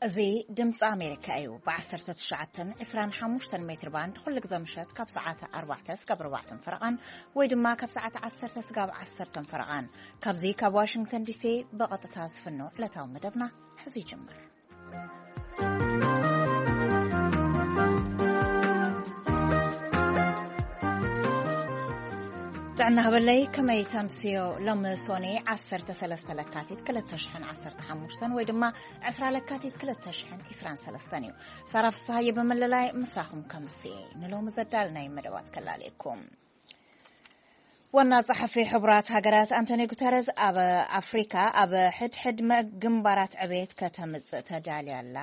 እዚ ድምፂ ኣሜሪካ እዩ። ብ19 25 ሜትር ባንድ ኩሉ ግዜ ምሸት ካብ ሰዓት ኣርባዕተ ስጋብ ኣርባዕተን ፈረቓን ወይ ድማ ካብ ሰዓት ዓሰርተ ስጋብ ዓሰርተን ፈረቓን፣ ካብዚ ካብ ዋሽንግተን ዲሲ ብቐጥታ ዝፍኖ ዕለታዊ መደብና ሕዚ ይጅምር። ጥዕና ህበለይ፣ ከመይ ተምስዮ? ሎሚ ሶኔ ዓሰርተ ሰለስተ ለካቲት ክልተ ሽሕን ዓሰርተ ሓሙሽተን ወይ ድማ ዕስራ ለካቲት ክልተ ሽሕን ዕስራን ሰለስተን እዩ። ሳራ ፍስሃየ ብምልላይ ምሳኹም ከምስየ። ንሎሚ ዘዳልናይ መደባት ከላልየኩም። ዋና ጸሓፊ ሕቡራት ሃገራት ኣንቶኒ ጉተረዝ ኣብ ኣፍሪካ ኣብ ሕድሕድ መ-፣ ግንባራት ዕቤት ከተምጽእ ተዳልያ ኣላ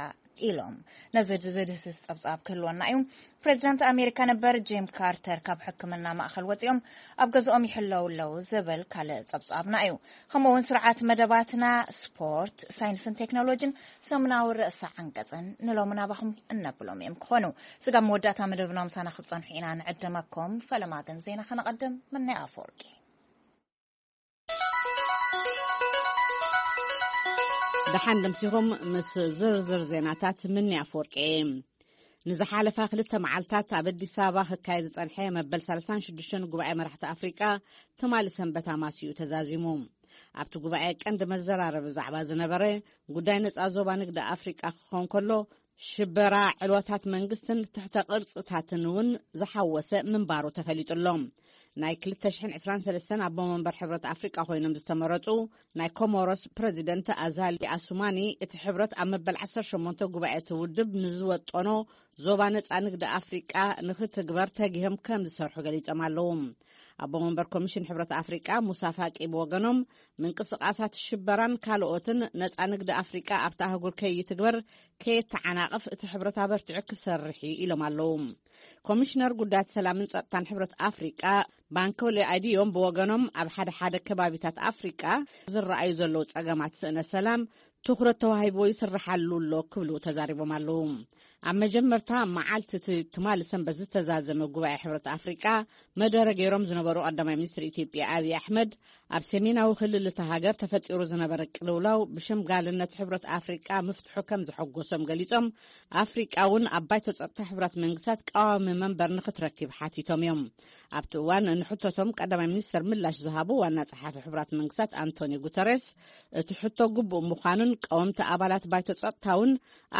ኢሎም። ነዚ ዝድህስስ ጸብጻብ ክህልወና እዩ። ፕሬዚዳንት ኣሜሪካ ነበር ጂም ካርተር ካብ ሕክምና ማእኸል ወጺኦም ኣብ ገዝኦም ይሕለው ኣለዉ ዝብል ካልእ ጸብጻብና እዩ። ከምኡ እውን ስርዓት መደባትና፣ ስፖርት፣ ሳይንስን ቴክኖሎጂን ሰሙናዊ ርእሰ ዓንቀጽን ንሎሚ ናባኹም እነብሎም እዮም ክኾኑ። ስጋብ መወዳእታ መደብና ምሳና ክትጸንሑ ኢና ንዕደመኩም። ፈለማ ግን ዜና ከነቐድም። ምናይ ኣፈወርቂ። ደሓን ደምሲኹም ምስ ዝርዝር ዜናታት። ምኒ ኣፈወርቂ እየ። ንዝሓለፋ ክልተ መዓልታት ኣብ ኣዲስ ኣበባ ክካየድ ዝጸንሐ መበል ሰላሳን ሽዱሽተን ጉባኤ መራሕቲ ኣፍሪቃ ትማሊ ሰንበት ኣማስዩ ተዛዚሙ። ኣብቲ ጉባኤ ቀንዲ መዘራረቢ ዛዕባ ዝነበረ ጉዳይ ነጻ ዞባ ንግዲ ኣፍሪቃ ክኸውን ከሎ፣ ሽበራ፣ ዕልዋታት መንግስትን ትሕተ ቅርጽታትን እውን ዝሓወሰ ምንባሩ ተፈሊጡ ኣሎ። ናይ ክልተ ሽሕን ዕስራን ሰለስተን ኣቦ መንበር ሕብረት ኣፍሪቃ ኮይኖም ዝተመረጹ ናይ ኮሞሮስ ፕረዚደንት ኣዛሊ ኣሱማኒ፣ እቲ ሕብረት ኣብ መበል ዓሰርተ ሸሞንተ ጉባኤ እቲ ውድብ ንዝወጠኖ ዞባ ነጻ ንግዲ ኣፍሪቃ ንኽትግበር ተጊሆም ከም ዝሰርሑ ገሊጾም ኣለዉ። ኣቦ መንበር ኮሚሽን ሕብረት ኣፍሪቃ ሙሳ ፋቂ ብወገኖም፣ ምንቅስቃሳት ሽበራን ካልኦትን ነጻ ንግዲ ኣፍሪቃ ኣብታ ኣህጉር ከይትግበር ከየተዓናቕፍ እቲ ሕብረት ኣበርቲዑ ክሰርሕ እዩ ኢሎም ኣለዉ። ኮሚሽነር ጉዳያት ሰላምን ጸጥታን ሕብረት ኣፍሪቃ ባንኮሊ ኣዲዮም ብወገኖም፣ ኣብ ሓደ ሓደ ከባቢታት ኣፍሪቃ ዝረኣዩ ዘለዉ ጸገማት ስእነ ሰላም ትኹረት ተዋሂብዎ ይስርሓሉ ኣሎ ክብሉ ተዛሪቦም ኣለዉ። ኣብ መጀመርታ መዓልቲ እቲ ትማሊ ሰንበት ዝተዛዘመ ጉባኤ ሕብረት ኣፍሪቃ መደረ ገይሮም ዝነበሩ ቀዳማይ ሚኒስትር ኢትዮጵያ ኣብይ ኣሕመድ፣ ኣብ ሰሜናዊ ክልል እታ ሃገር ተፈጢሩ ዝነበረ ቅልውላው ብሸምጋልነት ሕብረት ኣፍሪቃ ምፍትሑ ከም ዘሐጎሶም ገሊጾም፣ ኣፍሪቃ እውን ኣብ ባይቶ ጸጥታ ሕቡራት መንግስታት ቀዋሚ መንበር ንኽትረክብ ሓቲቶም እዮም። ኣብቲ እዋን ንሕቶቶም ቀዳማይ ሚኒስተር ምላሽ ዝሃቡ ዋና ጸሓፊ ሕቡራት መንግስታት ኣንቶኒ ጉተሬስ፣ እቲ ሕቶ ግቡእ ምዃኑን ቀወምቲ ኣባላት ባይቶ ጸጥታ እውን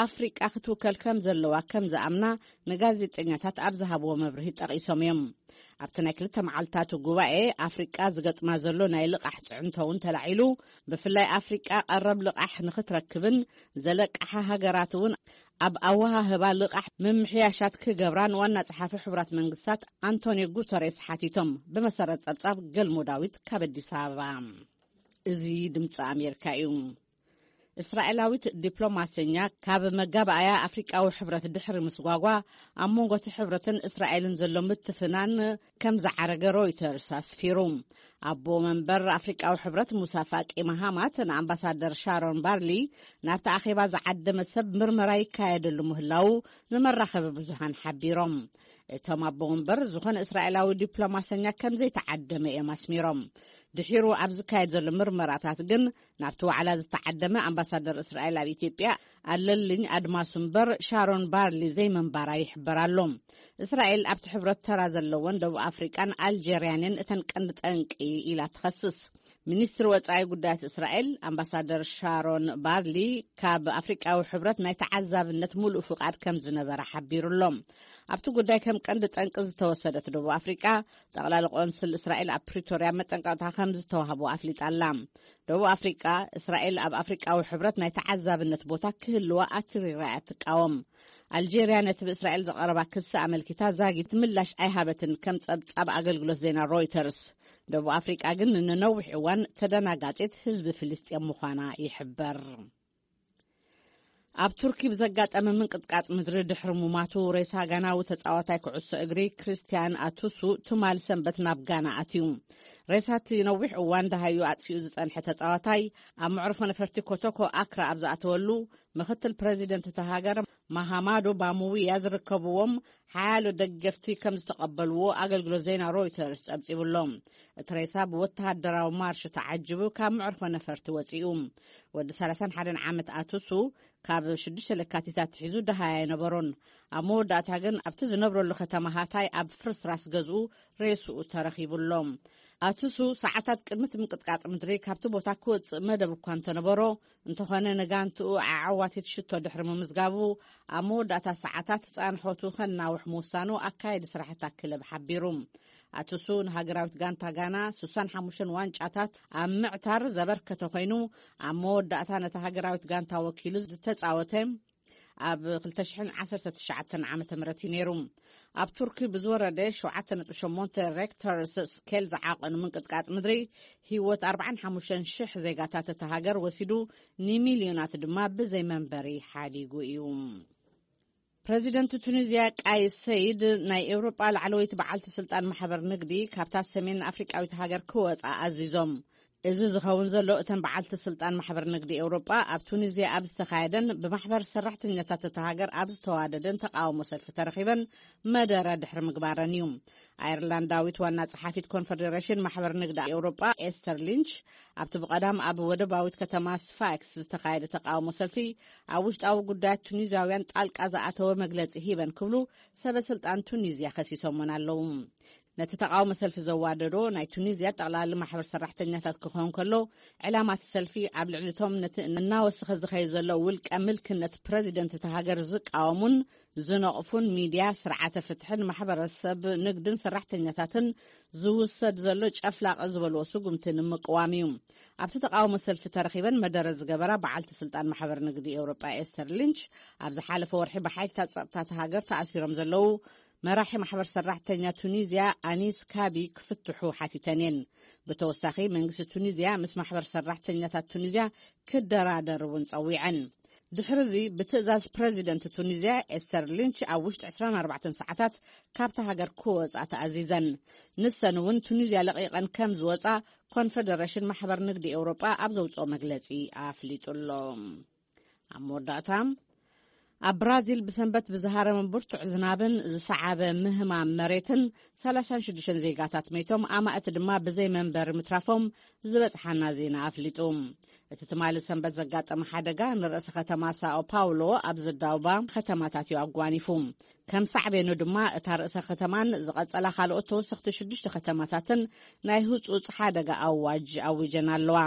ኣፍሪቃ ክትውከል ከም ዘለዋ ከም ዝኣምና ንጋዜጠኛታት ኣብ ዝሃብዎ መብርሂ ጠቒሶም እዮም። ኣብቲ ናይ ክልተ መዓልታት ጉባኤ ኣፍሪቃ ዝገጥማ ዘሎ ናይ ልቓሕ ጽዕንቶ እውን ተላዒሉ፣ ብፍላይ ኣፍሪቃ ቀረብ ልቓሕ ንኽትረክብን ዘለቃሓ ሃገራት እውን ኣብ ኣወሃህባ ልቓሕ ምምሕያሻት ክገብራ ንዋና ጸሓፊ ሕቡራት መንግስታት ኣንቶኒዮ ጉተሬስ ሓቲቶም። ብመሰረት ጸብጻብ ገልሞ ዳዊት ካብ ኣዲስ ኣበባ። እዚ ድምፂ ኣሜሪካ እዩ። እስራኤላዊት ዲፕሎማሰኛ ካብ መጋባእያ ኣፍሪቃዊ ሕብረት ድሕሪ ምስጓጓ፣ ኣብ መንጎ እቲ ሕብረትን እስራኤልን ዘሎ ምትፍናን ከም ዝዓረገ ሮይተርስ ኣስፊሩ። ኣቦ መንበር ኣፍሪቃዊ ሕብረት ሙሳ ፋቂ ማሃማት ንኣምባሳደር ሻሮን ባርሊ ናብቲ ኣኼባ ዝዓደመ ሰብ ምርመራ ይካየደሉ ምህላዉ ንመራኸቢ ብዙሃን ሓቢሮም። እቶም ኣቦ መንበር ዝኾነ እስራኤላዊ ዲፕሎማሰኛ ከም ዘይተዓደመ እዮም ኣስሚሮም። ድሒሩ ኣብ ዝካየድ ዘሎ ምርመራታት ግን ናብቲ ዋዕላ ዝተዓደመ ኣምባሳደር እስራኤል ኣብ ኢትዮጵያ ኣለልኝ ኣድማሱ እምበር ሻሮን ባርሊ ዘይመንባራ ይሕበር ኣሎ። እስራኤል ኣብቲ ሕብረት ተራ ዘለወን ደቡብ ኣፍሪቃን ኣልጀርያን እየን እተን ቀንዲ ጠንቂ ኢላ ትኸስስ። ሚኒስትሪ ወጻኢ ጉዳያት እስራኤል ኣምባሳደር ሻሮን ባርሊ ካብ ኣፍሪቃዊ ሕብረት ናይ ተዓዛብነት ሙሉእ ፍቓድ ከም ዝነበረ ሓቢሩ ኣሎ። ኣብቲ ጉዳይ ከም ቀንዲ ጠንቂ ዝተወሰደት ደቡብ ኣፍሪቃ፣ ጠቕላሊ ቆንስል እስራኤል ኣብ ፕሪቶርያ መጠንቀቕታ ከም ዝተዋህቦ ኣፍሊጣ ኣላ። ደቡብ ኣፍሪቃ፣ እስራኤል ኣብ ኣፍሪቃዊ ሕብረት ናይ ተዓዛብነት ቦታ ክህልዋ ኣትሪራ እያ ትቃወም። ኣልጄርያ ነቲ ብእስራኤል ዝቐረባ ክሲ ኣመልኪታ ዛጊት ምላሽ ኣይሃበትን፣ ከም ጸብጻብ ኣገልግሎት ዜና ሮይተርስ። ደቡብ ኣፍሪቃ ግን ንነዊሕ እዋን ተደናጋጺት ህዝቢ ፍልስጤም ምዃና ይሕበር። ኣብ ቱርኪ ብዘጋጠመ ምንቅጥቃጥ ምድሪ ድሕሪ ሙማቱ፣ ሬሳ ጋናዊ ተጻዋታይ ኩዕሶ እግሪ ክርስቲያን ኣቱሱ ትማል ሰንበት ናብ ጋና ኣትዩ። ሬሳ እቲ ነዊሕ እዋን ደሃዩ ኣጥፊኡ ዝጸንሐ ተጻዋታይ፣ ኣብ መዕርፎ ነፈርቲ ኮቶኮ ኣክራ ኣብ ዝኣተወሉ፣ ምክትል ፕረዚደንት እታ ሃገር ማሃማዶ ባሙውያ ዝርከብዎም ሓያሎ ደገፍቲ ከም ዝተቐበልዎ ኣገልግሎት ዜና ሮይተርስ ጸብጺቡ ኣሎ። እቲ ሬሳ ብወተሃደራዊ ማርሽ ተዓጅቡ ካብ መዕርፎ ነፈርቲ ወጺኡ። ወዲ ሰላሳን ሓደን ዓመት ኣቱሱ ካብ ሽዱሽተ ለካቲት ኣትሒዙ ደሃይ ኣይነበሮን። ኣብ መወዳእታ ግን ኣብቲ ዝነብረሉ ከተማ ሃታይ ኣብ ፍርስራስ ገዝኡ ሬስኡ ተረኺቡ ኣሎ። ኣቱሱ ሰዓታት ቅድሚ እቲ ምንቅጥቃጥ ምድሪ ካብቲ ቦታ ክወጽእ መደብ እኳ እንተነበሮ፣ እንተኾነ ንጋንትኡ ዓዓዋቲት ሽቶ ድሕሪ ምምዝጋቡ፣ ኣብ መወዳእታ ሰዓታት ጻንሖቱ ከናውሕ ምውሳኑ ኣካየዲ ስራሕታ ክለብ ሓቢሩ። ኣቱሱ ንሃገራዊት ጋንታ ጋና ሱሳን ሓሙሽተ ዋንጫታት ኣብ ምዕታር ዘበርከተ ኮይኑ፣ ኣብ መወዳእታ ነታ ሃገራዊት ጋንታ ወኪሉ ዝተጻወተ ኣብ ክልተ ሽሕን ዓሰርተ ትሽዓተን ዓመተ ምህረት እዩ ነይሩ። ኣብ ቱርኪ ብዝወረደ ሸውዓተ ነጥቢ ሸሞንተ ሬክተር ስኬል ዝዓቐኑ ምንቅጥቃጥ ምድሪ ህይወት ኣርባዓን ሓሙሽተን ሽሕ ዜጋታት እታ ሃገር ወሲዱ፣ ንሚልዮናት ድማ ብዘይ መንበሪ ሓዲጉ እዩ። ፕረዚደንት ቱኒዝያ ቃይስ ሰይድ ናይ ኤውሮጳ ላዕለወይቲ በዓልቲ ስልጣን ማሕበር ንግዲ ካብታ ሰሜን ኣፍሪቃዊት ሃገር ክወጻ ኣዚዞም። እዚ ዝኸውን ዘሎ እተን በዓልቲ ስልጣን ማሕበር ንግዲ ኤውሮጳ ኣብ ቱኒዝያ ኣብ ዝተኻየደን ብማሕበር ሰራሕተኛታት እታ ሃገር ኣብ ዝተዋደደን ተቃውሞ ሰልፊ ተረኺበን መደረ ድሕሪ ምግባረን እዩ። ኣየርላንዳዊት ዋና ጸሓፊት ኮንፈደሬሽን ማሕበር ንግዲ ኤውሮጳ ኤስተር ሊንች ኣብቲ ብቐዳም ኣብ ወደባዊት ከተማ ስፋክስ ዝተኻየደ ተቃውሞ ሰልፊ ኣብ ውሽጣዊ ጉዳያት ቱኒዝያውያን ጣልቃ ዝኣተወ መግለጺ ሂበን ክብሉ ሰበ ስልጣን ቱኒዝያ ከሲሶምወን ኣለዉ። ነቲ ተቃውሞ ሰልፊ ዘዋደዶ ናይ ቱኒዝያ ጠቕላሊ ማሕበር ሰራሕተኛታት ክኸውን ከሎ፣ ዕላማ እቲ ሰልፊ ኣብ ልዕሊ እቶም ነቲ እናወሰኸ ዝኸይድ ዘሎ ውልቀ ምልክነት ፕረዚደንት እታ ሃገር ዝቃወሙን ዝነቕፉን ሚድያ፣ ስርዓተ ፍትሕን ማሕበረሰብ ንግድን ሰራሕተኛታትን ዝውሰድ ዘሎ ጨፍላቐ ዝበልዎ ስጉምቲ ንምቅዋም እዩ። ኣብቲ ተቃውሞ ሰልፊ ተረኺበን መደረ ዝገበራ በዓልቲ ስልጣን ማሕበር ንግዲ ኤውሮጳ ኤስተር ሊንች፣ ኣብ ዝሓለፈ ወርሒ ብሓይልታት ጸጥታ እታ ሃገር ተኣሲሮም ዘለዉ መራሒ ማሕበር ሰራሕተኛ ቱኒዝያ ኣኒስ ካቢ ክፍትሑ ሓቲተን እየን። ብተወሳኺ መንግስቲ ቱኒዝያ ምስ ማሕበር ሰራሕተኛታት ቱኒዝያ ክደራደር እውን ጸዊዐን። ድሕሪ እዚ ብትእዛዝ ፕረዚደንት ቱኒዝያ ኤስተር ሊንች ኣብ ውሽጢ ዕስራን ኣርባዕተን ሰዓታት ካብታ ሃገር ክወጻ ተኣዚዘን። ንሰን እውን ቱኒዝያ ለቒቐን ከም ዝወጻ ኮንፈደሬሽን ማሕበር ንግዲ ኤውሮጳ ኣብ ዘውጽኦ መግለጺ ኣፍሊጡ ኣሎ። ኣብ መወዳእታ፣ ኣብ ብራዚል ብሰንበት ብዝሃረመ ብርቱዕ ዝናብን ዝሰዓበ ምህማም መሬትን ሰላሳን ሽዱሽተን ዜጋታት መይቶም፣ ኣማእት ድማ ብዘይ መንበሪ ምትራፎም ዝበጽሓና ዜና ኣፍሊጡ። እቲ ትማሊ ሰንበት ዘጋጠመ ሓደጋ ንርእሲ ከተማ ሳኦ ፓውሎ ኣብ ዝዳውባ ከተማታት እዩ ኣጓኒፉ። ከም ሳዕቤኑ ድማ እታ ርእሰ ከተማን ዝቐጸላ ካልኦት ተወሰኽቲ ሽዱሽተ ከተማታትን ናይ ህጹጽ ሓደጋ ኣዋጅ ኣዊጀን ኣለዋ።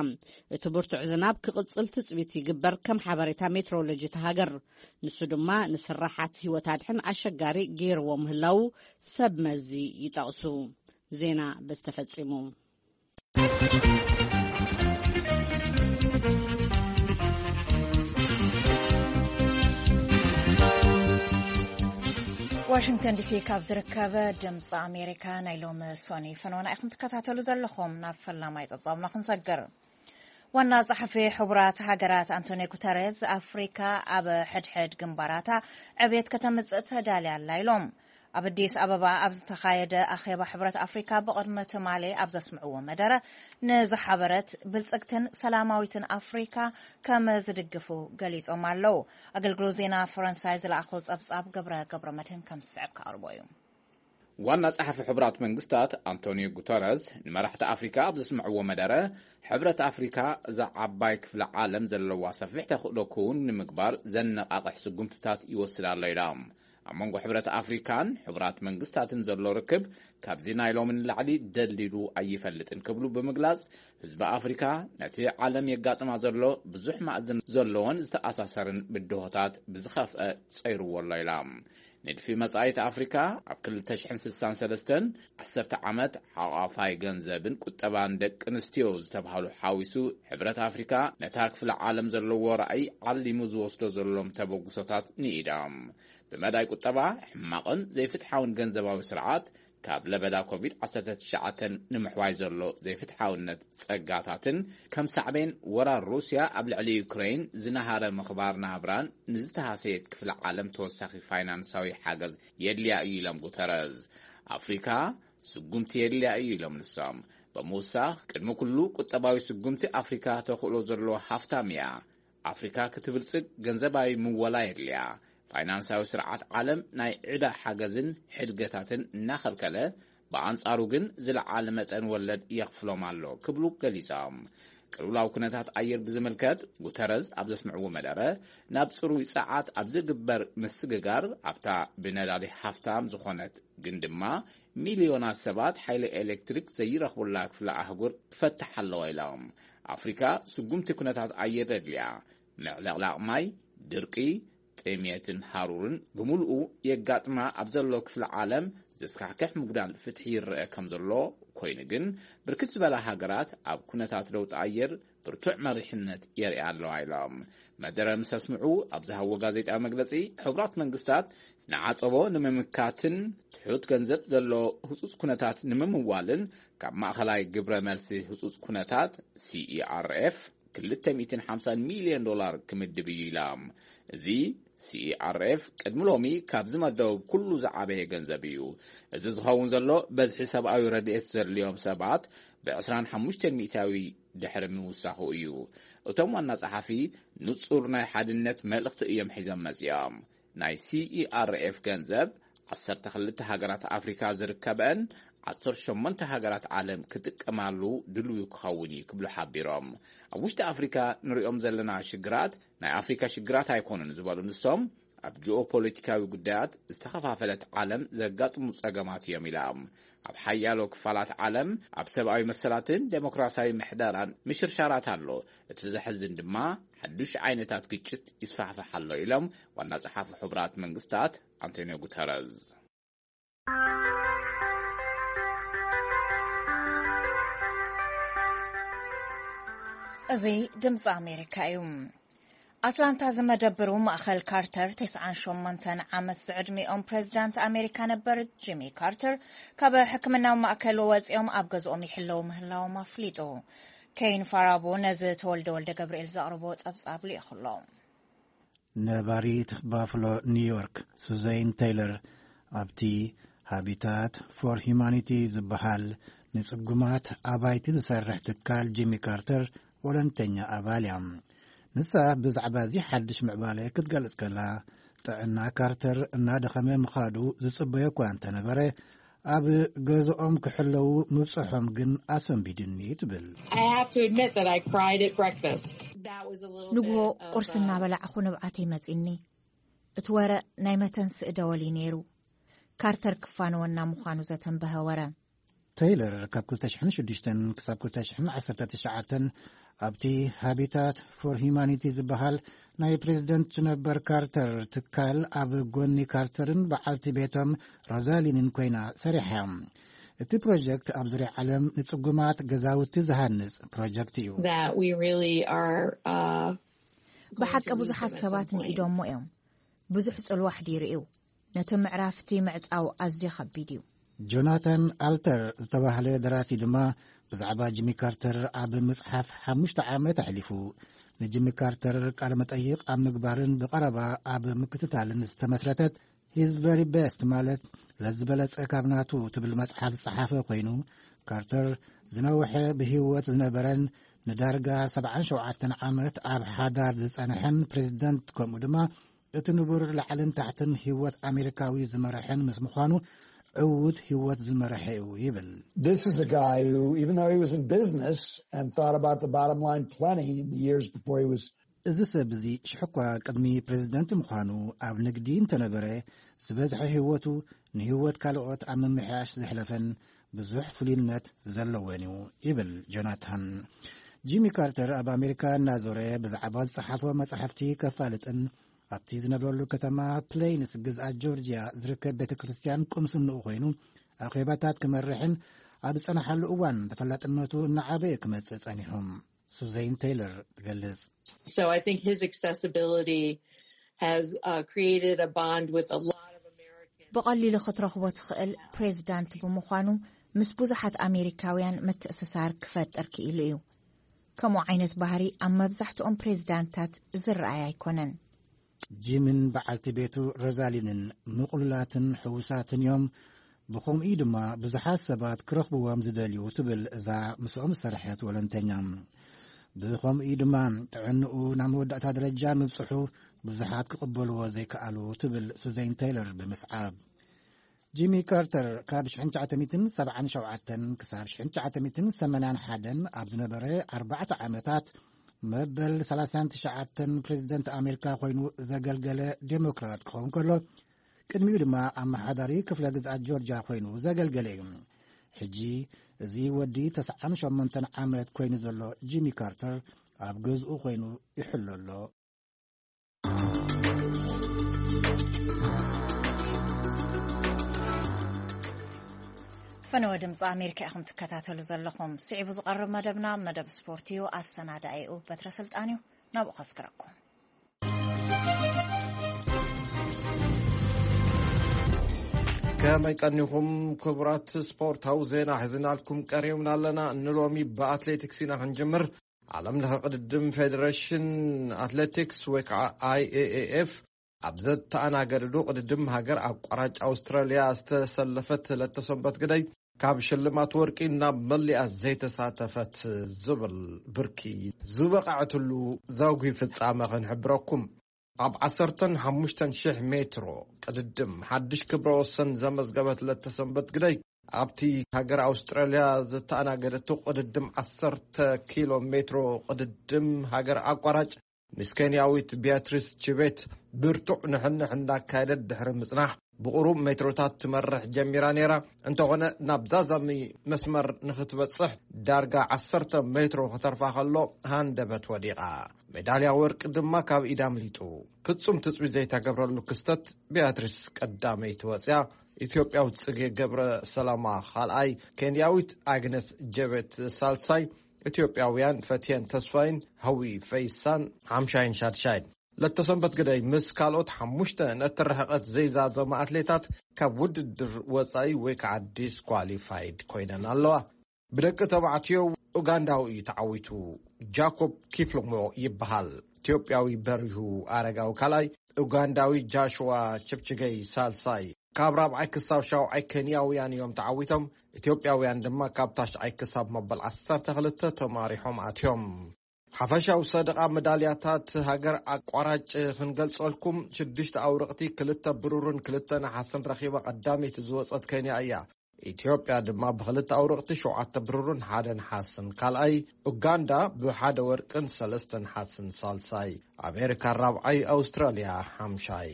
እቲ ብርቱዕ ዝናብ ክቕጽል ትጽቢት ይግበር ከም ሓበሬታ ሜትሮሎጂ እታ ሃገር። ንሱ ድማ ንስራሓት ህይወት ኣድሕን ኣሸጋሪ ገይርዎ ምህላዉ ሰብ መዚ ይጠቕሱ። ዜና በዚ ተፈጺሙ። ዋሽንግተን ዲሲ ካብ ዝርከብ ድምፂ ኣሜሪካ ናይ ሎሚ ሶኒ ፈነወና ኢኹም ትከታተሉ ዘለኹም። ናብ ፈላማይ ፀብፃብና ክንሰግር። ዋና ጸሓፊ ሕቡራት ሃገራት ኣንቶኒ ጉተሬዝ፣ ኣፍሪካ ኣብ ሕድሕድ ግንባራታ ዕብየት ከተምጽእ ተዳልያ ኣላ ኢሎም። ኣብ ኣዲስ ኣበባ ኣብ ዝተኻየደ ኣኼባ ሕብረት ኣፍሪካ ብቕድሚ ትማሊ ኣብ ዘስምዕዎ መደረ፣ ንዝሓበረት ብልጽግትን ሰላማዊትን ኣፍሪካ ከም ዝድግፉ ገሊጾም ኣለዉ። ኣገልግሎት ዜና ፈረንሳይ ዝለኣኾ ጸብጻብ ገብረ ገብረ መድህን ከም ዝስዕብ ክቐርቦ እዩ። ዋና ጸሓፊ ሕቡራት መንግስታት ኣንቶኒዮ ጉተረዝ ንመራሕቲ ኣፍሪካ ኣብ ዘስምዕዎ መደረ፣ ሕብረት ኣፍሪካ እዛ ዓባይ ክፍለ ዓለም ዘለዋ ሰፊሕ ተኽእሎ ክውን ንምግባር ዘነቓቕሕ ስጉምትታት ይወስድ ኣሎ ኢሎም። ኣብ መንጎ ሕብረት ኣፍሪካን ሕቡራት መንግስታትን ዘሎ ርክብ ካብዚ ናይ ሎሚ ንላዕሊ ደልዲሉ ኣይፈልጥን ክብሉ ብምግላጽ፣ ህዝቢ ኣፍሪካ ነቲ ዓለም የጋጥማ ዘሎ ብዙሕ ማእዝን ዘለዎን ዝተኣሳሰርን ብድሆታት ብዝኸፍአ ጸይርዎ ኣሎ ኢላ። ንድፊ መጻኢት ኣፍሪካ ኣብ ክልተ ሽሕን ስሳን ሰለስተን ዓሰርተ ዓመት ሓቋፋይ ገንዘብን ቁጠባን ደቂ ኣንስትዮ ዝተባህሉ ሓዊሱ፣ ሕብረት ኣፍሪካ ነታ ክፍለ ዓለም ዘለዎ ራእይ ዓሊሙ ዝወስዶ ዘሎም ተበግሶታት ንኢዳ። ብመዳይ ቁጠባ፣ ሕማቕን ዘይፍትሓውን ገንዘባዊ ስርዓት፣ ካብ ለበዳ ኮቪድ ዓሰርተ ትሽዓተ ንምሕዋይ ዘሎ ዘይፍትሓውነት ጸጋታትን፣ ከም ሳዕቤን ወራር ሩስያ ኣብ ልዕሊ ዩክሬን ዝነሃረ ምኽባር ናብራን ንዝተሃሰየት ክፍለ ዓለም ተወሳኺ ፋይናንሳዊ ሓገዝ የድልያ እዩ ኢሎም ጉተረዝ። ኣፍሪካ ስጉምቲ የድልያ እዩ ኢሎም ንሶም። ብምውሳኽ፣ ቅድሚ ኩሉ ቁጠባዊ ስጉምቲ ኣፍሪካ ተኽእሎ ዘለዎ ሃፍታም እያ። ኣፍሪካ ክትብልጽግ ገንዘባዊ ምወላ የድልያ። ፋይናንሳዊ ስርዓት ዓለም ናይ ዕዳ ሓገዝን ሕድገታትን እናኸልከለ፣ ብኣንጻሩ ግን ዝለዓለ መጠን ወለድ የኽፍሎም ኣሎ ክብሉ ገሊጾም። ቅልውላው ኩነታት ኣየር ብዝምልከት፣ ጉተረዝ ኣብ ዘስምዕዎ መደረ፣ ናብ ጽሩይ ጸዓት ኣብ ዝግበር ምስግጋር፣ ኣብታ ብነዳዲ ሃፍታም ዝኾነት ግን ድማ ሚልዮናት ሰባት ሓይሊ ኤሌክትሪክ ዘይረኽቡላ ክፍለ ኣህጉር ትፈትሕ ኣለዋ ኢሎም። ኣፍሪካ ስጉምቲ ኩነታት ኣየር የድልያ። ምዕልቕላቕ ማይ፣ ድርቂ፣ ጥምየትን ሃሩርን ብምሉኡ የጋጥማ ኣብ ዘሎ ክፍለ ዓለም፣ ዘስካሕክሕ ምጉዳል ፍትሒ ይረአ ከም ዘሎ ኮይኑ ግን፣ ብርክት ዝበላ ሃገራት ኣብ ኩነታት ለውጢ ኣየር ብርቱዕ መሪሕነት የርእያ ኣለዋ ኢሎም። መደረ ምስ ኣስምዑ ኣብ ዝሃብዎ ጋዜጣዊ መግለጺ፣ ሕቡራት መንግስታት ንዓጸቦ ንምምካትን ትሑት ገንዘብ ዘሎ ህጹጽ ኩነታት ንምምዋልን፣ ካብ ማእኸላይ ግብረ መልሲ ህጹጽ ኩነታት፣ C E R F፣ ክልተ ሚእትን ሓምሳን ሚልዮን ዶላር ክምድብ እዩ ኢላ። እዚ C E R F ቅድሚ ሎሚ ካብ ዝመደቡ ኩሉ ዝዓበየ ገንዘብ እዩ። እዚ ዝኸውን ዘሎ፣ በዝሒ ሰብኣዊ ረድኤት ዘድልዮም ሰባት ብ ዕስራን ሓሙሽተን ሚእታዊ ድሕሪ ምውሳኹ እዩ። እቶም ዋና ጸሓፊ፣ ንጹር ናይ ሓድነት መልእኽቲ እዮም ሒዞም መጺኦም። ናይ C E R F ገንዘብ፣ ዓሰርተ ክልተ ሃገራት ኣፍሪካ ዝርከበን ዓሰርተ ሸሞንተ ሃገራት ዓለም ክጥቀማሉ ድልዊ ክኸውን እዩ ክብሉ ሓቢሮም። ኣብ ውሽጢ ኣፍሪካ ንሪኦም ዘለና ሽግራት፣ ናይ ኣፍሪካ ሽግራት ኣይኮኑን ዝበሉ ንሶም፣ ኣብ ጂኦፖለቲካዊ ጉዳያት ዝተኸፋፈለት ዓለም ዘጋጥሙ ጸገማት እዮም ኢሎም። ኣብ ሓያሎ ክፋላት ዓለም ኣብ ሰብኣዊ መሰላትን ዴሞክራሲያዊ ምሕደራን ምሽርሻራት ኣሎ። እቲ ዘሕዝን ድማ፣ ሓዱሽ ዓይነታት ግጭት ይስፋሕፋሕ ኣሎ ኢሎም ዋና ጸሓፊ ሕቡራት መንግስታት ኣንቶኒዮ ጉተረዝ። እዚ ድምፂ ኣሜሪካ እዩ። ኣትላንታ ዝመደብሩ ማእኸል ካርተር፣ ተስዓን ሸሞንተን ዓመት ዝዕድሚኦም ፕሬዚዳንት ኣሜሪካ ነበር ጂሚ ካርተር፣ ካብ ሕክምናዊ ማእከል ወፂኦም ኣብ ገዝኦም ይሕለዉ ምህላዎም ኣፍሊጡ። ኬን ፋራቦ ነዚ ተወልደ ወልደ ገብርኤል ዘቕርቦ ጸብጻብ ልኢኹ ኣሎ። ነባሪት ባፍሎ ኒውዮርክ ሱዘይን ቴይለር፣ ኣብቲ ሃቢታት ፎር ሂማኒቲ ዝበሃል ንጽጉማት ኣባይቲ ዝሰርሕ ትካል ጂሚ ካርተር ወለንተኛ ኣባል እያ። ንሳ ብዛዕባ እዚ ሓድሽ ምዕባለ ክትገልጽ ከላ፣ ጥዕና ካርተር እናደኸመ ምኻዱ ዝጽበዮ እኳ እንተነበረ፣ ኣብ ገዝኦም ክሕለዉ ምብጽሖም ግን ኣሰንቢድኒ ትብል። I have to admit that I cried at breakfast. That was a little ንግሆ bit of, ቁርሲ uh, እናበላዕኹ ንብዓተይ መጺኒ። እቲ ወረ ናይ መተንስኢ ደወል እዩ ነይሩ። ካርተር ክፋነወና ምዃኑ ዘተንበሀ ወረ። ቴይለር ካብ ክልተ ሽሕን ሽዱሽተን ክሳብ ክልተ ሽሕን ዓሰርተ ትሽዓተን ኣብቲ ሃቢታት ፎር ሂማኒቲ ዝበሃል ናይ ፕሬዚደንት ነበር ካርተር ትካል ኣብ ጎኒ ካርተርን በዓልቲ ቤቶም ሮዛሊንን ኮይና ሰሪሓ። እቲ ፕሮጀክት ኣብ ዙርያ ዓለም ንጽጉማት ገዛውቲ ዝሃንጽ ፕሮጀክት እዩ። That we really are, uh, ብሓቂ ብዙሓት ሰባት ንኢዶሞ እዮም። ብዙሕ ጽልዋ ኣሕዲሩ እዩ። ነቲ ምዕራፍቲ ምዕጻው ኣዝዩ ከቢድ እዩ። ጆናታን ኣልተር ዝተባህለ ደራሲ ድማ ብዛዕባ ጂሚ ካርተር ኣብ ምጽሓፍ ሓሙሽተ ዓመት ኣሕሊፉ። ንጂሚ ካርተር ቃለ መጠይቕ ኣብ ምግባርን ብቐረባ ኣብ ምክትታልን ዝተመስረተት ሂዝ ቨሪ ቤስት፣ ማለት ለዝበለጸ ካብ ናቱ ትብል መጽሓፍ ዝጸሓፈ ኮይኑ፣ ካርተር ዝነውሐ ብህይወት ዝነበረን ንዳርጋ ሰብዓን ሸውዓተን ዓመት ኣብ ሓዳር ዝጸንሐን ፕሬዚደንት፣ ከምኡ ድማ እቲ ንቡር ላዕልን ታሕትን ህይወት ኣሜሪካዊ ዝመረሐን ምስ ምዃኑ፣ ዕዉት ህይወት ዝመረሐ እዩ ይብል። This is a guy who, even though he was in business and thought about the bottom line plenty in the years before he was እዚ ሰብ እዚ ሽሕኳ ቅድሚ ፕሬዚደንት ምዃኑ ኣብ ንግዲ እንተነበረ፣ ዝበዝሐ ህይወቱ ንህይወት ካልኦት ኣብ ምምሕያሽ ዘሕለፈን ብዙሕ ፍሉይነት ዘለዎን እዩ ይብል ጆናታን። ጂሚ ካርተር ኣብ ኣሜሪካ እናዞረ ብዛዕባ ዝጸሓፎ መጻሕፍቲ ከፋልጥን ኣብቲ ዝነብረሉ ከተማ ፕሌይንስ ግዝኣት ጆርጂያ ዝርከብ ቤተ ክርስቲያን ቁምስንኡ ኮይኑ ኣኼባታት ክመርሕን ኣብ ዝጸንሓሉ እዋን ተፈላጥነቱ እናዓበየ ክመጽእ ጸኒሑ። ሱዘይን ቴይለር ትገልጽ። So I think his accessibility has, uh, created a bond with a lot of Americans. ብቐሊሉ ክትረኽቦ ትኽእል ፕሬዚዳንት ብምዃኑ ምስ ብዙሓት ኣሜሪካውያን ምትእስሳር ክፈጥር ክኢሉ እዩ። ከምኡ ዓይነት ባህሪ ኣብ መብዛሕትኦም ፕሬዚዳንታት ዝረኣይ ኣይኮነን። ጂምን በዓልቲ ቤቱ ሮዛሊንን ምቕሉላትን ሕዉሳትን እዮም። ብኸምኡ ድማ ብዙሓት ሰባት ክረኽብዎም ዝደልዩ ትብል እዛ ምስኦም ዝሰርሐት ወለንተኛ። ብኸምኡ ድማ ጥዕንኡ ናብ መወዳእታ ደረጃ ምብጽሑ ብዙሓት ክቕበልዎ ዘይከኣሉ ትብል ሱዘን ቴይለር ብምስዓብ። ጂሚ ካርተር ካብ ሽሕን ትሽዓተ ሚእትን ሰብዓን ሸውዓተን ክሳብ ሽሕን ትሽዓተ ሚእትን ሰማንያን ሓደን ኣብ ዝነበረ ኣርባዕተ ዓመታት መበል ሰላሳን ትሽዓተን ፕሬዚደንት ኣሜሪካ ኮይኑ ዘገልገለ ዴሞክራት ክኸውን ከሎ፣ ቅድሚኡ ድማ ኣመሓዳሪ ክፍለ ግዝኣት ጆርጅያ ኮይኑ ዘገልገለ እዩ። ሕጂ እዚ ወዲ ተስዓን ሸሞንተን ዓመት ኮይኑ ዘሎ ጂሚ ካርተር ኣብ ገዝኡ ኮይኑ ይሕሎ ኣሎ። ፈነወ ድምፂ ኣሜሪካ ኢኹም ትከታተሉ ዘለኹም። ስዒቡ ዝቐርብ መደብና መደብ ስፖርት እዩ። ኣሰናዳኢኡ በትረ ስልጣን እዩ። ናብኡ ከስክረኩም። ከመይ ቀኒኹም ክቡራት? ስፖርታዊ ዜና ሒዝናልኩም ቀሪብና ኣለና። ንሎሚ ብኣትሌቲክስ ኢና ክንጅምር። ዓለም ለኸ ቅድድም ፌዴሬሽን ኣትሌቲክስ ወይ ከዓ ኣይ ኤ ኤ ኤፍ ኣብ ዘተኣናገደሉ ቅድድም ሃገር ኣቋራጭ ኣውስትራልያ ዝተሰለፈት ለተሰንበት ግደይ ካብ ሽልማት ወርቂ ናብ መሊኣ ዘይተሳተፈት ዝብል ብርኪ ዝበቕዐትሉ ዘጉሂ ፍጻመ ክንሕብረኩም። ኣብ ዓሰርተን ሓሙሽተን ሽሕ ሜትሮ ቅድድም ሓድሽ ክብረ ወሰን ዘመዝገበት ለተሰንበት ግደይ ኣብቲ ሃገር ኣውስትራልያ ዘተኣናገደቱ ቅድድም ዓሰርተ ኪሎ ሜትሮ ቅድድም ሃገር ኣቋራጭ ምስ ኬንያዊት ቢያትሪስ ቺቤት ብርቱዕ ንሕንሕ እንዳካየደት ድሕሪ ምጽናሕ ብቑሩብ ሜትሮታት ትመርሕ ጀሚራ ነይራ። እንተኾነ ናብ ዛዛሚ መስመር ንኽትበጽሕ ዳርጋ ዓሰርተ ሜትሮ ክተርፋ ከሎ ሃንደበት ወዲቓ። ሜዳልያ ወርቂ ድማ ካብ ኢዳ ኣምሊጡ። ፍጹም ትጽቢት ዘይተገብረሉ ክስተት፣ ቢያትሪስ ቀዳመይቲ ወጽያ፣ ኢትዮጵያዊት ጽጌ ገብረ ሰላማ ካልኣይ፣ ኬንያዊት ኣግነስ ጀቤት ሳልሳይ፣ ኢትዮጵያውያን ፈትየን ተስፋይን ሃዊ ፈይሳን ሓምሻይን ሻድሻይን። ለተሰንበት ግደይ ምስ ካልኦት ሓሙሽተ ነቲ ርሕቀት ዘይዛዘመ ኣትሌታት ካብ ውድድር ወጻኢ ወይ ከዓ ዲስኳሊፋይድ ኮይነን ኣለዋ። ብደቂ ተባዕትዮ ኡጋንዳዊ እዩ ተዓዊቱ። ጃኮብ ኪፕሎሞ ይበሃል። ኢትዮጵያዊ በሪሁ ኣረጋዊ ካልኣይ፣ ኡጋንዳዊ ጃሽዋ ችፕችገይ ሳልሳይ። ካብ ራብዓይ ክሳብ ሻውዓይ ኬንያውያን እዮም ተዓዊቶም። ኢትዮጵያውያን ድማ ካብ ታሽዓይ ክሳብ መበል ዓሰርተ ክልተ ተማሪሖም ኣትዮም። ሓፈሻዊ ሰደቓ መዳልያታት ሃገር ኣቋራጭ ክንገልጸልኩም፣ ሽዱሽተ ኣውርቕቲ፣ ክልተ ብሩርን ክልተ ነሓስን ረኺባ ቀዳመይቲ ዝወጸት ኬንያ እያ። ኢትዮጵያ ድማ ብኽልተ ኣውርቕቲ፣ ሸውዓተ ብሩርን ሓደ ነሓስን ካልኣይ፣ ኡጋንዳ ብሓደ ወርቅን ሰለስተ ነሓስን ሳልሳይ፣ ኣሜሪካ ራብዓይ፣ ኣውስትራልያ ሓምሻይ።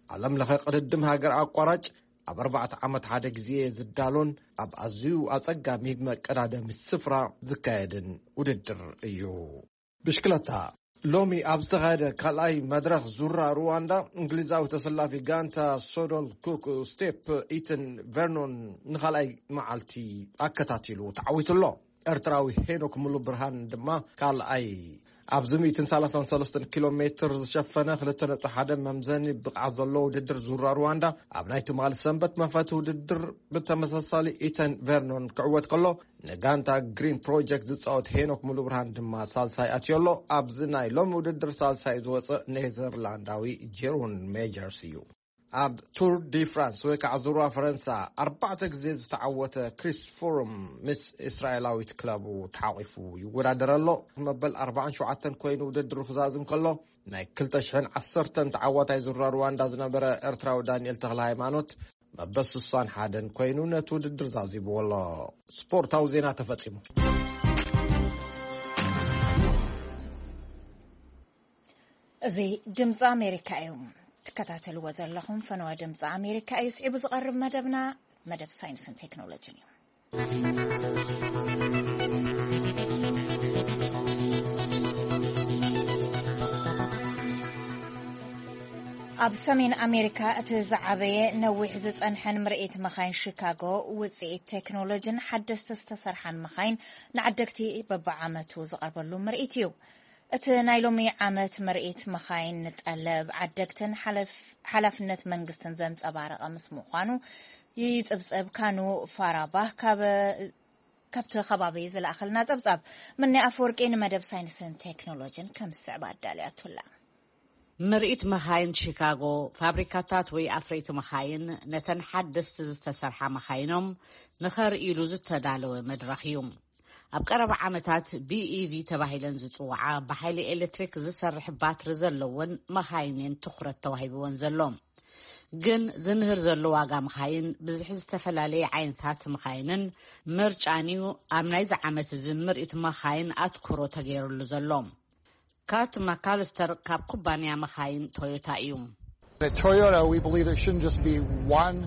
ዓለም ለኸ ቅድድም ሃገር ኣቋራጭ ኣብ ኣርባዕተ ዓመት ሓደ ግዜ ዝዳሎን ኣብ ኣዝዩ ኣጸጋሚ መቀዳደሚ ስፍራ ዝካየድን ውድድር እዩ። ብሽክለታ። ሎሚ ኣብ ዝተኻየደ ካልኣይ መድረኽ ዙራ ሩዋንዳ፣ እንግሊዛዊ ተሰላፊ ጋንታ ሶዶል ኩክ ስቴፕ ኢተን ቨርኖን ንኻልኣይ መዓልቲ ኣከታቲሉ ተዓዊቱ ኣሎ። ኤርትራዊ ሄኖክ ሙሉ ብርሃን ድማ ካልኣይ። ኣብዚ ሚእትን ሰላሳን ሰለስተን ኪሎ ሜትር ዝሸፈነ ክልተ ነጥቢ ሓደ መምዘኒ ብቕዓት ዘለዎ ውድድር ዙራ ሩዋንዳ ኣብ ናይ ትማሊ ሰንበት መኽፈቲ ውድድር ብተመሳሳሊ ኢተን ቨርኖን ክዕወት ከሎ፣ ንጋንታ ግሪን ፕሮጀክት ዝጻወት ሄኖክ ሙሉብርሃን ድማ ሳልሳይ ኣትዮ ኣሎ። ኣብዚ ናይ ሎሚ ውድድር ሳልሳይ ዝወጸ ኔዘርላንዳዊ ጄሮን ሜጀርስ እዩ። ኣብ ቱር ዲ ፍራንስ ወይ ከዓ ዙርባ ፈረንሳ ኣርባዕተ ግዜ ዝተዓወተ ክሪስ ፍሩም ምስ እስራኤላዊት ክለቡ ተሓቒፉ ይወዳደር ኣሎ። መበል ኣርባዓን ሸውዓተን ኮይኑ ውድድሩ ክዛዝም ከሎ፣ ናይ ክልተ ሽሕን ዓሰርተን ተዓዋታይ ዙራ ሩዋንዳ ዝነበረ ኤርትራዊ ዳንኤል ተኽለ ሃይማኖት መበል ስሳን ሓደን ኮይኑ ነቲ ውድድር ዛዚብዎ ኣሎ። ስፖርታዊ ዜና ተፈጺሙ። እዚ ድምፂ ኣሜሪካ እዩ። ትከታተልዎ ዘለኹም ፈነወ ድምፂ ኣሜሪካ እዩ። ስዒቡ ዝቐርብ መደብና መደብ ሳይንስን ቴክኖሎጂን እዩ። ኣብ ሰሜን ኣሜሪካ እቲ ዝዓበየ ነዊሕ ዝጸንሐን ምርኢት መኻይን ሺካጎ፣ ውጽኢት ቴክኖሎጂን ሓደስቲ ዝተሰርሓን መኻይን ንዓደግቲ በብዓመቱ ዝቐርበሉ ምርኢት እዩ። እቲ ናይ ሎሚ ዓመት ምርኢት መኻይን ንጠለብ ዓደግትን ሓለፍ-፣ ሓላፍነት መንግስትን ዘንጸባረቐ ምስ ምዃኑ፣ ይጽብጸብ ካኑ ፋራባህ ካብ፣ ካብቲ ከባቢ ዝለኣኸልና ጸብጻብ። ምኒ ኣፈወርቂ ንመደብ ሳይንስን ቴክኖሎጂን ከም ዝስዕብ ኣዳልያቱላ። ምርኢት መኻይን ሺካጎ፣ ፋብሪካታት ወይ ኣፍረይቲ መኻይን ነተን ሓደስቲ ዝተሰርሓ መኻይኖም ንኸርእይሉ ዝተዳለወ መድረኽ እዩ። ኣብ ቀረባ ዓመታት ቢ ኢ ቪ ተባሂለን ዝጽውዓ ብሓይሊ ኤሌክትሪክ ዝሰርሕ ባትሪ ዘለወን መኻይን እየን ትኹረት ተዋሂብወን ዘሎ። ግን ዝንህር ዘሎ ዋጋ መኻይን፣ ብዝሒ ዝተፈላለየ ዓይነታት መኻይንን ምርጫን እዩ ኣብ ናይዚ ዓመት እዚ ምርኢት መኻይን ኣትኩሮ ተገይሩሉ ዘሎ። ካርት ማካልስተር ካብ ኩባንያ መኻይን ቶዮታ እዩ። At Toyota, we believe there shouldn't just be one.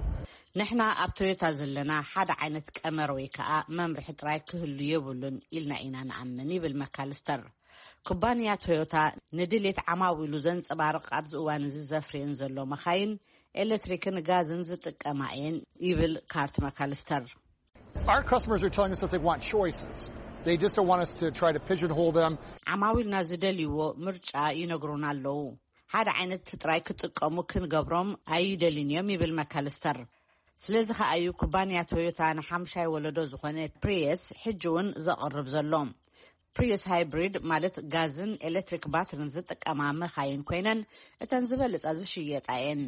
ንሕና ኣብ ቶዮታ ዘለና ሓደ ዓይነት ቀመር ወይ ከዓ መምርሒ ጥራይ ክህሉ የብሉን ኢልና ኢና ንኣምን፣ ይብል መካልስተር። ኩባንያ ቶዮታ ንድሌት ዓማዊሉ ዘንጸባርቕ ኣብዚ እዋን እዚ ዘፍርየን ዘሎ መኻይን ኤሌክትሪክን ጋዝን ዝጥቀማ እየን፣ ይብል ካርት መካልስተር። Our customers are telling us that they want choices. They just don't want us to try to pigeonhole them. ዓማዊልና ዝደልይዎ ምርጫ ይነግሩና ኣለዉ። ሓደ ዓይነት ጥራይ ክጥቀሙ ክንገብሮም ኣይደልን እዮም፣ ይብል መካልስተር። ስለዚ ከኣ እዩ ኩባንያ ቶዮታ ንሓምሻይ ወለዶ ዝኾነ ፕሪየስ ሕጂ እውን ዘቕርብ ዘሎ። ፕሪየስ ሃይብሪድ ማለት ጋዝን ኤሌክትሪክ ባትሪን ዝጥቀማ መኻይን ኮይነን፣ እተን ዝበለጻ ዝሽየጣ እየን።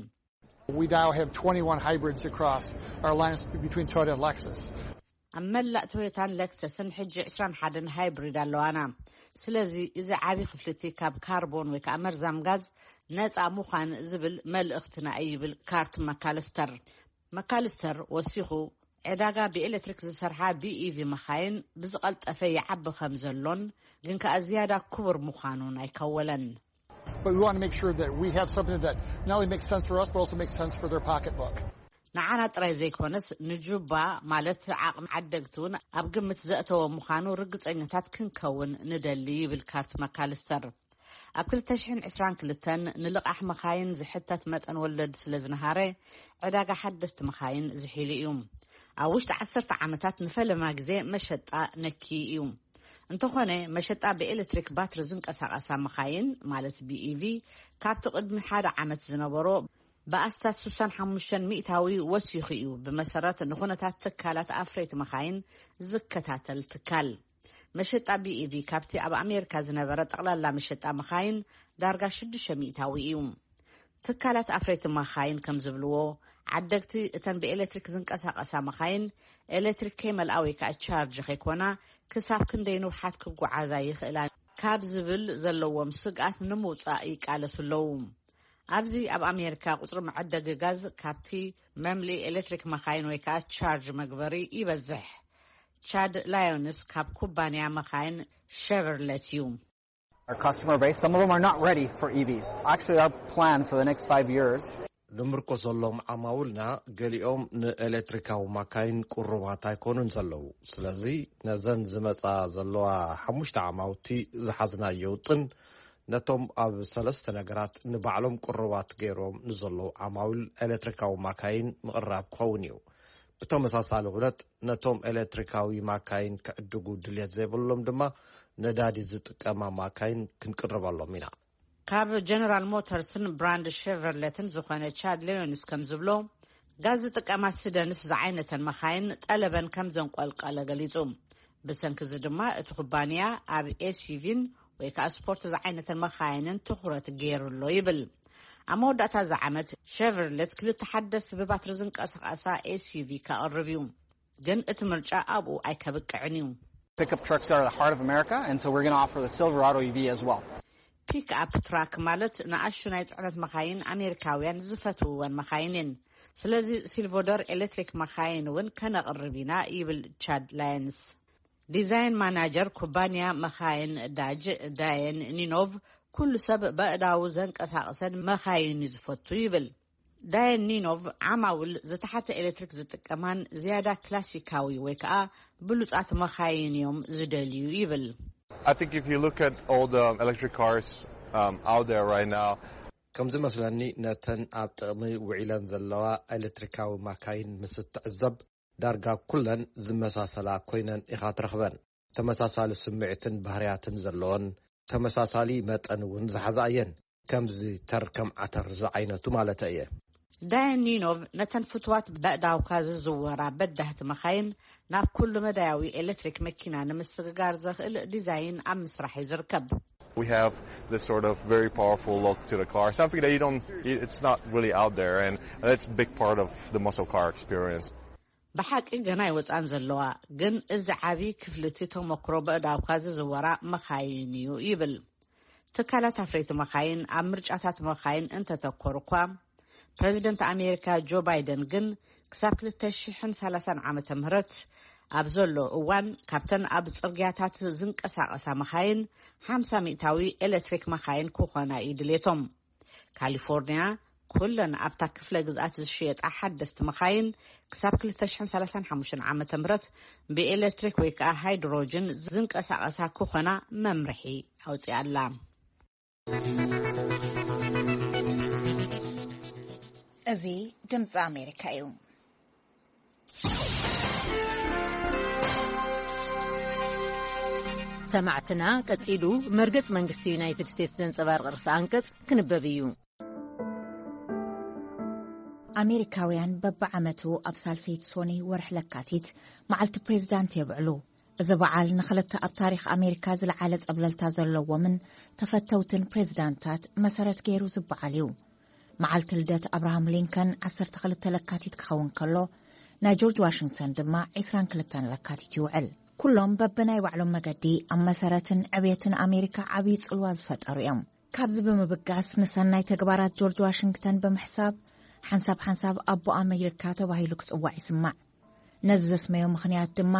We now have twenty-one hybrids across our lines between Toyota and Lexus. ኣብ መላእ ቶዮታን ለክሰስን ሕጂ ዕስራን ሓደን ሃይብሪድ ኣለዋና። ስለዚ እዚ ዓቢ ክፍልቲ ካብ ካርቦን ወይ ከዓ መርዛም ጋዝ ነፃ ምዃን ዝብል መልእኽትና እዩ፣ ይብል ካርት መካልስተር። መካልስተር ወሲኹ፣ ዕዳጋ ብኤሌክትሪክ ዝሰርሓ ቢኢቪ መኻይን ብዝቐልጠፈ ይዓቢ ከም ዘሎን ግን ከኣ ዝያዳ ክቡር ምዃኑን ኣይከወለን። But we want to make sure that we have something that not only makes sense for us, but also makes sense for their pocketbook. ንዓና ጥራይ ዘይኮነስ ንጁባ፣ ማለት ዓቕሚ ዓደግቲ እውን ኣብ ግምት ዘእተወ ምዃኑ ርግጸኛታት ክንከውን ንደሊ፣ ይብል ካርት መካልስተር። ኣብ ክልተ ሽሕን ዕስራን ክልተን ንልቓሕ መኻይን ዝሕተት መጠን ወለድ ስለ ዝነሃረ፣ ዕዳጋ ሓደስቲ መኻይን ዝሒሉ እዩ። ኣብ ውሽጢ ዓሰርተ ዓመታት ንፈለማ ግዜ መሸጣ ነኪ እዩ። እንተኾነ፣ መሸጣ ብኤሌክትሪክ ባትሪ ዝንቀሳቐሳ መኻይን፣ ማለት ቢኢቪ፣ ካብቲ ቅድሚ ሓደ ዓመት ዝነበሮ ብኣስታት ስሳን ሓሙሽተን ሚእታዊ ወሲኹ እዩ፣ ብመሰረት ንኹነታት ትካላት ኣፍረይቲ መኻይን ዝከታተል ትካል። መሸጣ ቢኢቪ ካብቲ ኣብ ኣሜሪካ ዝነበረ ጠቕላላ መሸጣ መኻይን ዳርጋ ሽዱሽተ ሚእታዊ እዩ። ትካላት ኣፍረይቲ መኻይን ከም ዝብልዎ፣ ዓደግቲ እተን ብኤሌክትሪክ ዝንቀሳቐሳ መኻይን ኤሌክትሪክ ከይመልኣ ወይ ከዓ ቻርጅ ከይኮና ክሳብ ክንደይ ንውሓት ክጓዓዛ ይኽእላ ካብ ዝብል ዘለዎም ስግኣት ንምውፃእ ይቃለሱ ኣለዉ። ኣብዚ ኣብ ኣሜሪካ ቁፅሪ መዐደጊ ጋዝ ካብቲ መምልኢ ኤሌክትሪክ መኻይን ወይ ከዓ ቻርጅ መግበሪ ይበዝሕ። ቻድ ላዮንስ ካብ ኩባንያ መኻይን ሸቨርለት እዩ። Our customer base, some of them are not ready for E Vs. Actually, our plan for the next five years ንምርኮሰሎም ዓማውልና ገሊኦም ንኤሌክትሪካዊ ማካይን ቅሩባት ኣይኮኑን ዘለዉ። ስለዚ ነዘን ዝመጻ ዘለዋ ሓሙሽተ ዓማውቲ ዝሓዝናዮ ውጥን ነቶም ኣብ ሰለስተ ነገራት ንባዕሎም ቅሩባት ገይሮም ንዘለዉ ዓማውል ኤሌክትሪካዊ ማካይን ምቕራብ ክኸውን እዩ። ብተመሳሳሊ ኩነት ነቶም ኤሌክትሪካዊ ማካይን ክዕድጉ ድልየት ዘይብሎም ድማ ነዳዲ ዝጥቀማ ማካይን ክንቅርበሎም ኢና። ካብ ጀነራል ሞተርስን ብራንድ ሸቨርለትን ዝኾነ ቻድ ሌዮንስ ከም ዝብሎ፣ ጋዝ ዝጥቀማ ስደንስ ዝዓይነተን መኻይን ጠለበን ከም ዘንቆልቀለ ገሊጹ። ብሰንኪ እዚ ድማ እቲ ኩባንያ ኣብ ኤስዩቪን ወይ ከዓ ስፖርት ዝዓይነተን መኻይንን ትኹረት ገይሩ ኣሎ ይብል። ኣብ መወዳእታ እዚ ዓመት ሸቨርለት ክልተ ሓደስቲ ብባትሪ ዝንቀሳቐሳ ኤስዩቪ ከቕርብ እዩ። ግን እቲ ምርጫ ኣብኡ ኣይከብቅዕን እዩ። Pickup trucks are the heart of America, and so we're going to offer the Silverado E V as well. ፒክ ኣፕ ትራክ ማለት ንኣሹ ናይ ፅዕነት መኻይን ኣሜሪካውያን ዝፈትውወን መኻይን እየን። ስለዚ ሲልቮደር ኤሌክትሪክ መኻይን እውን ከነቕርብ ኢና፣ ይብል ቻድ ላየንስ። ዲዛይን ማናጀር ኩባንያ መኻይን ዳጅ ዳየን ኒኖቭ፣ ኩሉ ሰብ በእዳዉ ዘንቀሳቕሰን መኻይን እዩ ዝፈቱ ይብል። ዳየን ኒኖቭ ዓማውል ዝተሓተ ኤሌክትሪክ ዝጥቀማን ዝያዳ ክላሲካዊ ወይ ከዓ ብሉፃት መኻይን እዮም ዝደልዩ ይብል። I think if you look at all the electric cars um, out there right now, ከም ዝመስለኒ ነተን ኣብ ጥቕሚ ውዒለን ዘለዋ ኤሌክትሪካዊ ማካይን ምስ እትዕዘብ ዳርጋ ኩለን ዝመሳሰላ ኮይነን ኢኻ ትረኽበን። ተመሳሳሊ ስምዒትን ባህርያትን ዘለወን፣ ተመሳሳሊ መጠን እውን ዝሓዛ እየን። ከምዚ ተር ከም ዓተር ዝዓይነቱ ማለተይ እየ። ዳየን ኒኖቭ ነተን ፍትዋት በእዳውካ ዝዝወራ በዳህቲ መኻይን ናብ ኩሉ መዳያዊ ኤሌክትሪክ መኪና ንምስግጋር ዘኽእል ዲዛይን ኣብ ምስራሕ እዩ ዝርከብ። We have this sort of very powerful look to the car, something that you don't, it's not really out there, and that's a big part of the muscle car experience. ብሓቂ ገና ኣይወፃን ዘለዋ፣ ግን እዚ ዓብዪ ክፍልቲ ተመክሮ በእዳውካ ዝዝወራ መኻይን እዩ ይብል። ትካላት ኣፍረይቲ መኻይን ኣብ ምርጫታት መኻይን እንተተኮሩ እኳ፣ ፕረዚደንት ኣሜሪካ ጆ ባይደን ግን ክሳብ ክልተ ሽሕን ሰላሳን ዓመተ ምህረት ኣብ ዘሎ እዋን ካብተን ኣብ ጽርግያታት ዝንቀሳቐሳ መኻይን ሓምሳ ሚእታዊ ኤሌክትሪክ መኻይን ክኾና እዩ ድሌቶም። ካሊፎርኒያ ኩለን ኣብታ ክፍለ ግዝኣት ዝሽየጣ ሓደስቲ መኻይን ክሳብ ክልተ ሽሕን ሰላሳን ሓሙሽተን ዓመተ ምህረት ብኤሌክትሪክ ወይ ከዓ ሃይድሮጅን ዝንቀሳቐሳ ክኾና መምርሒ ኣውፅኣላ። እዚ ድምፂ ኣሜሪካ እዩ። ሰማዕትና፣ ቀጺሉ መርገጽ መንግስቲ ዩናይትድ ስቴትስ ዘንጸባርቕ ርእሰ ኣንቀጽ ክንበብ እዩ። ኣሜሪካውያን በብዓመቱ ኣብ ሳልሰይቲ ሶኒ ወርሒ ለካቲት መዓልቲ ፕሬዝዳንት የብዕሉ። እዚ በዓል ንኽልተ ኣብ ታሪኽ ኣሜሪካ ዝለዓለ ጸብለልታ ዘለዎምን ተፈተውትን ፕሬዝዳንታት መሰረት ገይሩ ዝበዓል እዩ። መዓልቲ ልደት ኣብርሃም ሊንከን ዓሰርተ ክልተ ለካቲት ክኸውን ከሎ፣ ናይ ጆርጅ ዋሽንግተን ድማ ዕስራን ክልተን ለካቲት ይውዕል። ኩሎም በብናይ ባዕሎም መገዲ ኣብ መሰረትን ዕብየትን ኣሜሪካ ዓብዪ ጽልዋ ዝፈጠሩ እዮም። ካብዚ ብምብጋስ፣ ንሰናይ ተግባራት ጆርጅ ዋሽንግተን ብምሕሳብ፣ ሓንሳብ ሓንሳብ ኣቦ ኣሜሪካ ተባሂሉ ክጽዋዕ ይስማዕ። ነዚ ዘስመዮ ምኽንያት ድማ፣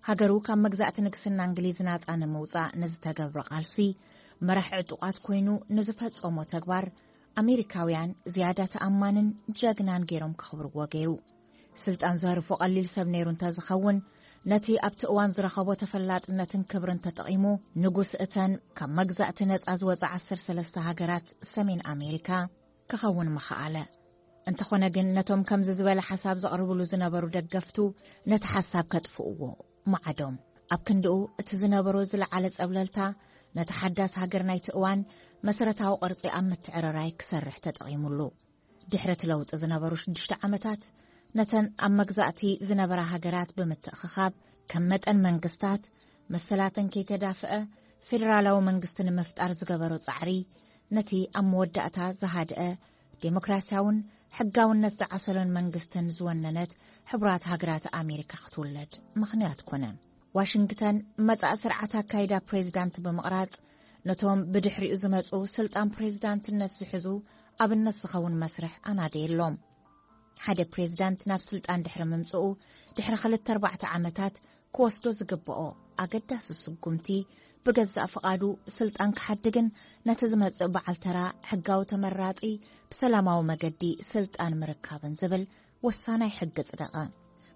ሃገሩ ካብ መግዛእቲ ንግስና እንግሊዝ ናጻ ንምውጻእ ንዝተገብሮ ቃልሲ መራሕ ዕጡቓት ኮይኑ ንዝፈጸሞ ተግባር፣ ኣሜሪካውያን ዝያዳ ተኣማንን ጀግናን ገይሮም ከኽብርዎ ገይሩ። ስልጣን ዘህርፎ ቀሊል ሰብ ነይሩ እንተዝኸውን፣ ነቲ ኣብቲ እዋን ዝረኸቦ ተፈላጥነትን ክብርን ተጠቒሙ፣ ንጉስ እተን ካብ መግዛእቲ ነጻ ዝወጻ ዓሰርተ ሰለስተ ሃገራት ሰሜን ኣሜሪካ ክኸውን ምኸኣለ። እንተኾነ ግን፣ ነቶም ከምዚ ዝበለ ሓሳብ ዘቕርብሉ ዝነበሩ ደገፍቱ ነቲ ሓሳብ ከጥፍእዎ መዓዶም። ኣብ ክንድኡ፣ እቲ ዝነበሮ ዝለዓለ ጸብለልታ፣ ነቲ ሓዳስ ሃገር ናይቲ እዋን መሰረታዊ ቅርጺ ኣብ ምትዕርራይ ክሰርሕ ተጠቒሙሉ። ድሕሪ እቲ ለውጢ ዝነበሩ ሽዱሽተ ዓመታት፣ ነተን ኣብ መግዛእቲ ዝነበራ ሃገራት ብምትእኽኻብ፣ ከም መጠን መንግስታት፣ መሰላተን ከይተዳፍአ፣ ፌደራላዊ መንግስቲ ንምፍጣር ዝገበሮ ጻዕሪ፣ ነቲ ኣብ መወዳእታ ዝሃድአ፣ ዴሞክራሲያውን ሕጋውነት ዝዓሰሎን መንግስትን ዝወነነት ሕቡራት ሃገራት ኣሜሪካ ክትውለድ ምኽንያት ኮነ። ዋሽንግተን መጻኢ ስርዓት ኣካይዳ ፕሬዚዳንት ብምቕራጽ፣ ነቶም ብድሕሪኡ ዝመጹ ስልጣን ፕሬዚዳንትነት ዝሕዙ ኣብነት ዝኸውን መስርሕ ኣናደየሎም። ሓደ ፕሬዚዳንት ናብ ስልጣን ድሕሪ ምምጽኡ፣ ድሕሪ ክልተ ኣርባዕተ ዓመታት ክወስዶ ዝግብኦ ኣገዳሲ ስጉምቲ፣ ብገዛእ ፍቓዱ ስልጣን ክሓድግን ነቲ ዝመጽእ በዓል ተራ ሕጋዊ ተመራጺ ብሰላማዊ መገዲ ስልጣን ምርካብን ዝብል ወሳናይ ሕጊ ጽደቐ።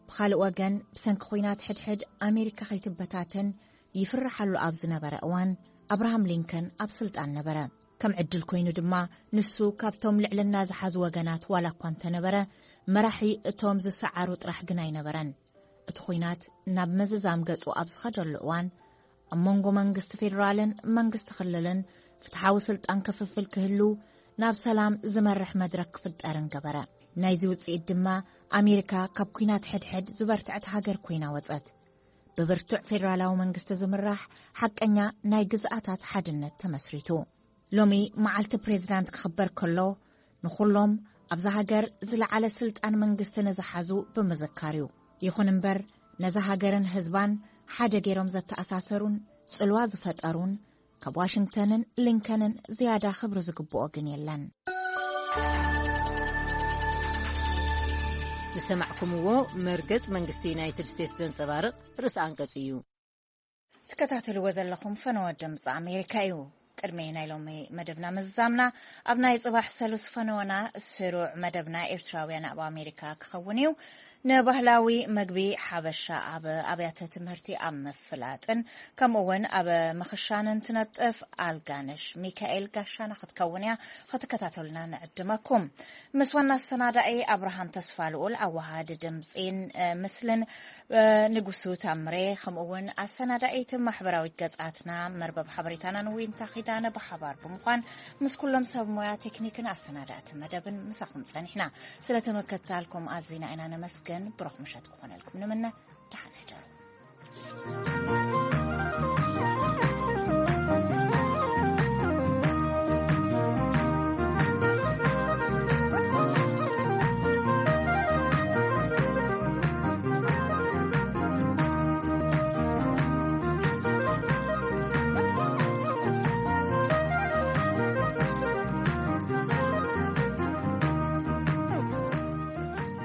ብኻልእ ወገን፣ ብሰንኪ ኲናት ሕድሕድ ኣሜሪካ ከይትበታተን ይፍርሓሉ ኣብ ዝነበረ እዋን፣ ኣብርሃም ሊንከን ኣብ ስልጣን ነበረ። ከም ዕድል ኮይኑ ድማ፣ ንሱ ካብቶም ልዕልና ዝሓዙ ወገናት ዋላ እኳ እንተነበረ፣ መራሒ እቶም ዝሰዓሩ ጥራሕ ግን ኣይነበረን። እቲ ኲናት ናብ ምዝዛም ገጹ ኣብ ዝኸደሉ እዋን፣ ኣብ መንጎ መንግስቲ ፌዴራልን መንግስቲ ክልልን ፍትሓዊ ስልጣን ክፍፍል ክህሉ፣ ናብ ሰላም ዝመርሕ መድረክ ክፍጠርን ገበረ። ናይዚ ውጽኢት ድማ፣ ኣሜሪካ ካብ ኲናት ሕድሕድ ዝበርትዐት ሃገር ኮይና ወጸት። ብብርቱዕ ፌዴራላዊ መንግስቲ ዝምራሕ ሓቀኛ ናይ ግዝኣታት ሓድነት ተመስሪቱ። ሎሚ መዓልቲ ፕሬዚዳንት ክኽበር ከሎ፣ ንኹሎም ኣብዛ ሃገር ዝለዓለ ስልጣን መንግስቲ ንዝሓዙ ብምዝካር እዩ። ይኹን እምበር፣ ነዛ ሃገርን ህዝባን ሓደ ገይሮም ዘተኣሳሰሩን ጽልዋ ዝፈጠሩን፣ ካብ ዋሽንግተንን ሊንከንን ዝያዳ ክብሪ ዝግብኦ ግን የለን። ዝሰማዕኩምዎ መርገጽ መንግስቲ ዩናይትድ ስቴትስ ዘንጸባርቕ ርእሰ ኣንቀጽ እዩ። ትከታተልዎ ዘለኹም ፈነወ ድምፂ ኣሜሪካ እዩ። ቅድሚ ናይ ሎሚ መደብና ምዝዛምና፣ ኣብ ናይ ጽባሕ ሰሉስ ፈነወና ስሩዕ መደብና ኤርትራውያን ኣብ ኣሜሪካ ክኸውን እዩ። ንባህላዊ መግቢ ሓበሻ ኣብ ኣብያተ ትምህርቲ ኣብ ምፍላጥን ከምኡ እውን ኣብ ምኽሻንን ትነጥፍ ኣልጋነሽ ሚካኤል ጋሻና ክትከውን እያ። ክትከታተሉና ንዕድመኩም። ምስ ዋና ኣሰናዳኢ ኣብርሃም ተስፋ ልኡል፣ ኣወሃዲ ድምፂን፣ እ፣ ምስልን፣ እ፣ ንጉሱ ታምሬ፣ ከምኡ እውን ኣሰናዳኢት ማሕበራዊት ገጻትና መርበብ ሓበሬታና ንዊንታ ኪዳነ ብሓባር ብምዃን ምስ ኩሎም ሰብ ሞያ ቴክኒክን ኣሰናዳእቲ መደብን ምሳኹም ጸኒሕና። ስለተመከታልኩም ኣዚና ኢና ነመስግን። ብሩኽ ምሸት ክኾነልኩም ንምነ።